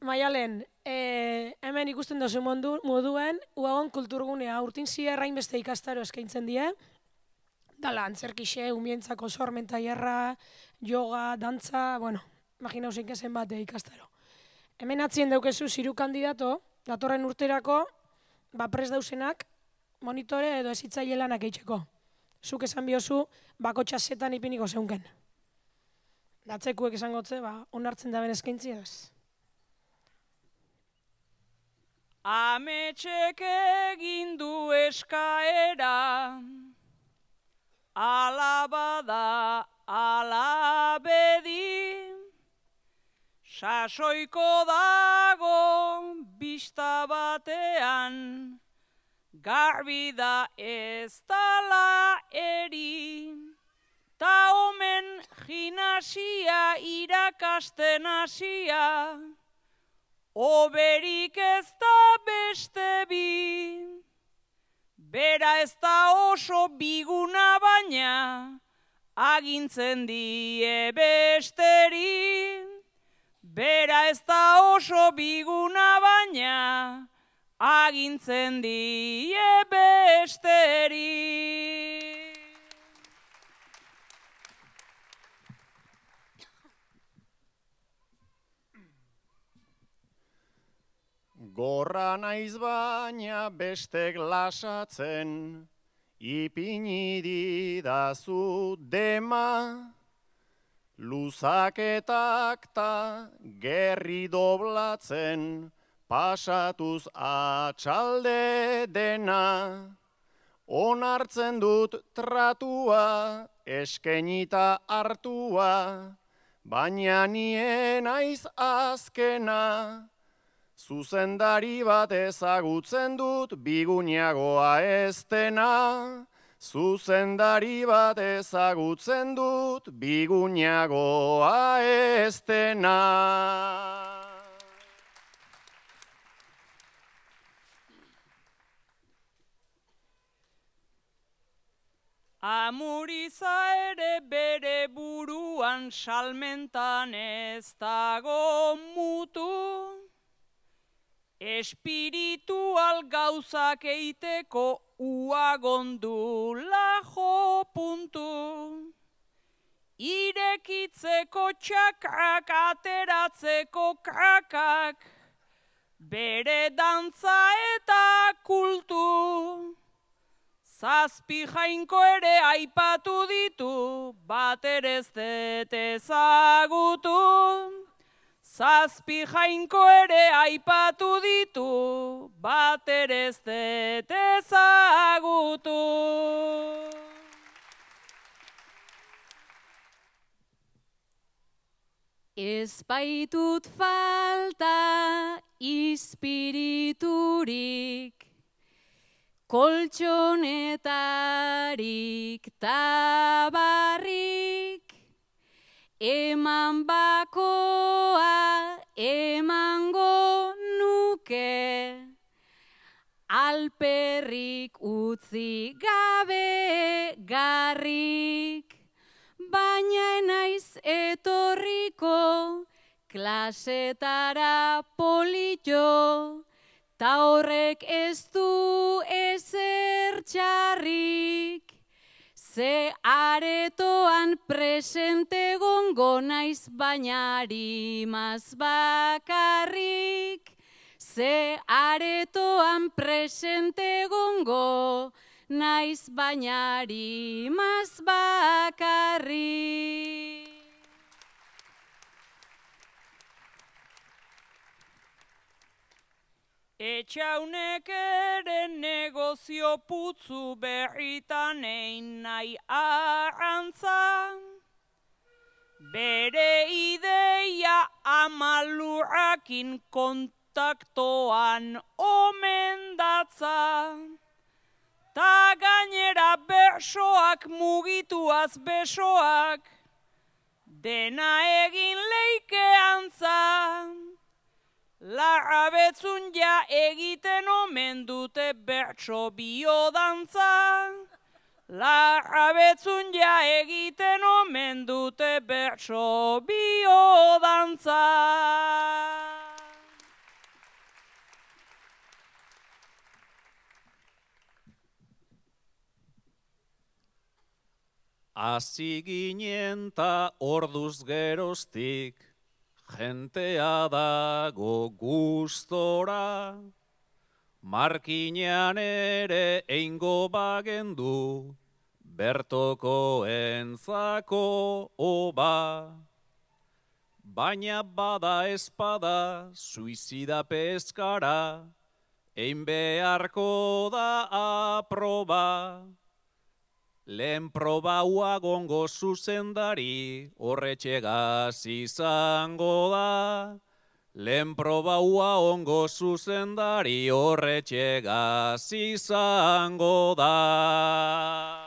Maialen, hemen ikusten duzu moduen, Uagon kulturgunea urtin zierrain beste ikastaro eskaintzen die. Dala, antzerkixe, umientzako sormen tailerra, yoga, dantza, bueno, imagina usein zen bat ikastaro. Hemen atzien daukezu ziru kandidato, datorren urterako, prest dausenak, monitore edo ezitzaile lanak eitzeko. Zuk esan biozu, bakotxa zetan ipiniko zeunken. Datzekuek esan gotze, onartzen da ben eskaintzi ez. Ametxek egin du eskaera, alabada alabedi, sasoiko dago bista batean, garbi da ez dala eri, ta omen gimnasia irakasten hasia, oberik ez da beste bi, bera ez da oso biguna baina, agintzen die besteri. Bera ez da oso biguna baina, agintzen die besteri. Gorra naiz baina bestek lasatzen, ipini didazu dema, luzaketak ta gerri doblatzen, pasatuz atxalde dena. Onartzen dut tratua, eskenita hartua, baina nien naiz azkena. Zuzendari bat ezagutzen dut, biguniagoa ez dena. Zuzendari bat ezagutzen dut, biguniagoa ez dena. Amuriza ere bere buruan salmentan ez dago mutu, espiritual gauzak eiteko uagondula jo puntu. Irekitzeko txakak, ateratzeko kakak, bere dantza eta kultu. Zazpi jainko ere aipatu ditu, bat ere ez dut ezagutu. Zazpi jainko ere aipatu ditu, bat ere ez dut ezagutu. Ez baitut falta ispiriturik, koltxonetarik tabarrik, eman bakoa emango nuke, alperrik utzi gabe garrik, baina naiz etorriko klasetara polito, ta horrek ez du ezer txarrik. Ze aretoan presente gongo naiz baina harimaz bakarrik. Ze aretoan presente gongo naiz baina harimaz bakarrik. Etxaunek ere negozio putzu berritan egin nahi arrantza, bere ideia amalurrakin kontaktoan omen datza, ta gainera bersoak mugituaz besoak, dena egin leikeantza. Larrabetzun ja egiten omen dute bertso biodantza. Larrabetzun ja egiten omen dute bertso biodantza. hasi ginen ta orduz geroztik, jentea dago gustora, markinean ere eingo bagendu, bertoko entzako oba. Baina bada espada, suizida peskara, ein beharko da aproba. Lehen proba gongo zuzendari, horretxegaz izango da. Lehen proba ongo zuzendari, horretxegaz izango da.